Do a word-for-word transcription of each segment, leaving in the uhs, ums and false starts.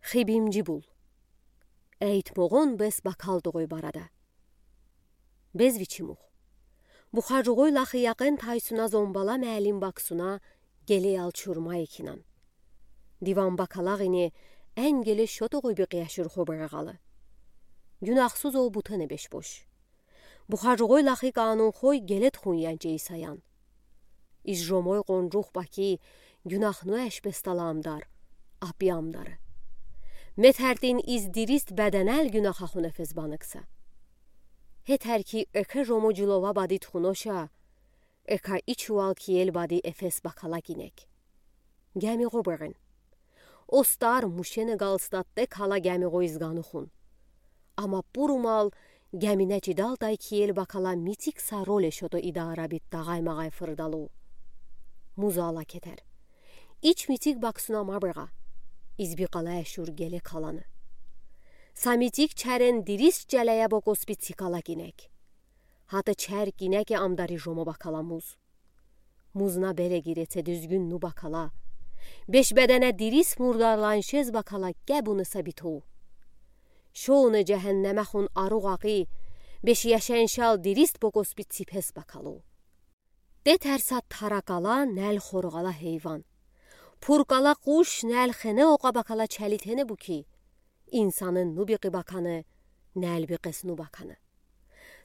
Хибимжи бул. Эйтмоғон бес бакал тоғой барада. Безвичимух. Бухаруғой лахи яқен тайсуна зомбала муаллим баксуна геле ал чурма экинан. Диван бакалағ ине эн геле шо тоғой биқияшур хобарағалы. Гюнахсуз ол бутене бешбош. Бухаруғой лахи канун хой гелет хунянче исаян. Из жомой қонрух баки гюнахну эш бестала амдар, апи амдары. Метердин из дирист беденел гюнаха хуне фезбаныкса. Хетер ки эке жомо жилова бадит хуноша, эка ичуал киел бади эфес бакала гинек. Геми хобарен. Остар мушене галстатте кала геми хойзгану хун. Ама пурумал гемине чидалтай киел бакала митик са роле шото ида арабит тағай-мағай фырдалу. Музала кетер. Ич митик баксуна мабырға. Из биқала эшур геле каланы. Са митик чарен дирис чалая бокос бит сикала гинек. Хата чар гинеке амдари жомо бакала муз. Музна белегиреце дүзгюн ну бакала. Беш бедене дирис мурдарланшез бакала гебуны сабиту. Шоуны жехеннеме хун аруғ ағи, беш яшеншал дирист бокос бит сипес бакалу. Тетерса таракала нәл хорғала хейван. Пуркала қуш нәл хене оқа бакала чалитене буки. Инсанын ну биқи баканы, нәл биқес ну баканы.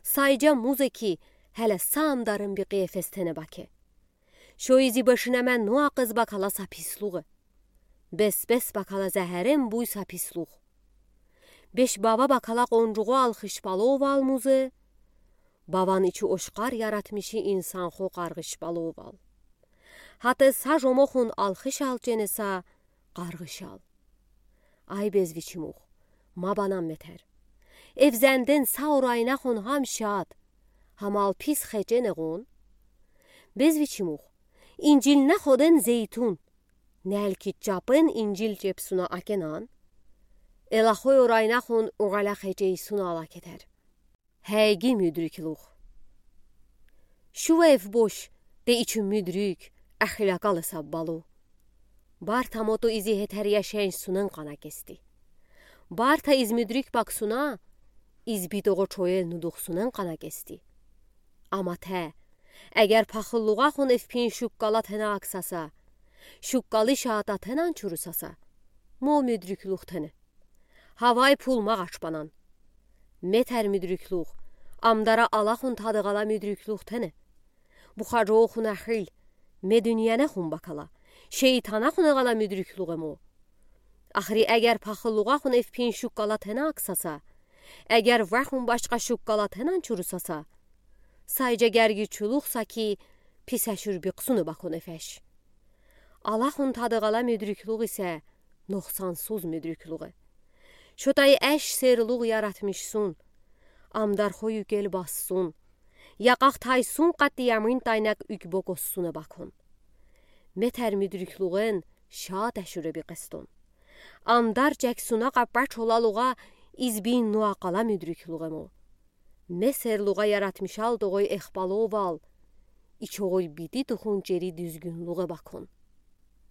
Сайжа музе ки, хеле са амдарын биқи эфестене баке. Шо изи бешинеме ну ақыз бакала са пислуғы. Бес-бес бакала зәхерен буй са пислуғ. Беш бава бакала қонруғу алхышпалу вал музе. Баван ичу ошқар яратмиши инсан хо қарғышпалу вал. Хата са жомо хун алхышал ченеса қарғышал. Ай безвичимух, мабанам метер. Эвзенден са орайна хун хам шат, хамал пис хечене гун. Безвичимух, инжилна ходен зейтун. Нәлки чапен инжил чепсуна акенан. Элахой орайна хун уғала хечейсуна ала кетер. Хейги мюдрюклух. Шувев бош, те ичу мюдрюк, ахилакалы саббалу. Барта моту изи хетер яшенш сунен қана кести. Барта из мюдрюк баксуна, из битоғо чоел нудух сунен қана кести. Ама те, эгер пахыллуға хун эвпин шуккала тена аксаса, шуккалы шаата тенан чурусаса, мо мюдрюклух тене. Хавай пул мағаш банан. Метер мюдрюклух, амдара ала хун тадығала мюдрюклух тене. Бухаруғ хун ахил, ме дүнияна хун бакала, шейтана хун ағала мюдрюклуғ эмо. Ахри эгер пахыллуға хун эвпин шуккала тена аксаса, эгер вахун башқа шуккала тенан чурусаса, сайжа герги чулух саки писәшур биқсуны бакун эфеш. Ала хун тадығала мюдрюклуғ исе, ноқсансуз мюдрюклуғ э. Шотай әш серлуғ яратмишсун, амдар хой юкел бассун, яқах тайсун қатты ямин тайнак юк бокоссуна бакун. Метер мюдрюклуғын шат әшуре биқестун. Амдар чексуна қаппач олалуға избин нуақала мюдрюклуғ эмо. Ме серлуға яратмишал тоғой эхпалу вал, ичоғой биди тухун чери дүзгюнлуғ э бакун.